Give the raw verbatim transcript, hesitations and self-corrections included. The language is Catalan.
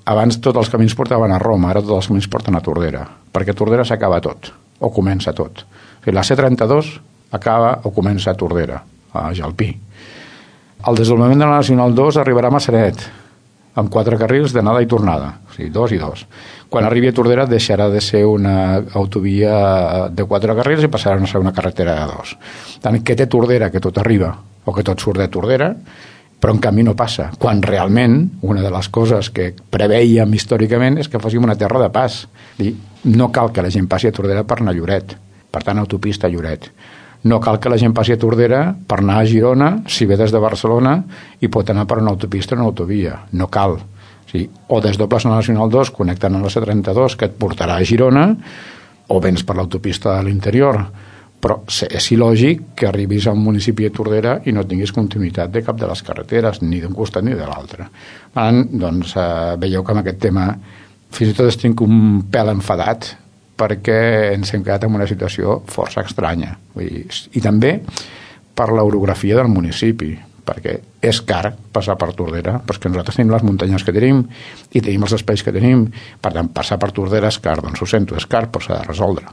abans tots els camins portaven a Roma, ara tots els camins porten a Tordera, perquè a Tordera s'acaba tot, o comença tot. O sigui, la C trenta-dos acaba o comença a Tordera, a Jalpí. El desdoblament de la Nacional dos arribarà a Massanet, amb quatre carrils d'anada i tornada, o sigui, dos i dos. Quan arribi a Tordera deixarà de ser una autovia de quatre carrils i passarà a ser una carretera de dos. Tant que té Tordera, que tot arriba, o que tot surt de Tordera, però en canvi no passa, quan realment una de les coses que preveiem històricament és que fóssim una terra de pas. I no cal que la gent passi a Tordera per anar a Lloret, per tant autopista a Lloret. No cal que la gent passi a Tordera per anar a Girona, si ve des de Barcelona i pot anar per una autopista o una autovia. No cal. O sigui, o desdobles la Nacional dos connectant amb la C trenta-dos que et portarà a Girona, o vens per l'autopista de l'interior. Però és il·lògic que arribis a un municipi de Tordera i no tinguis continuïtat de cap de les carreteres, ni d'un costat ni de l'altre. Doncs eh, veieu que amb aquest tema fins i tot estic un pèl enfadat perquè ens hem quedat en una situació força estranya. Vull dir, i també per l'orografia del municipi, perquè és car passar per Tordera, però és que nosaltres tenim les muntanyes que tenim i tenim els espais que tenim, per tant, passar per Tordera és car, doncs ho sento, és car, però s'ha de resoldre.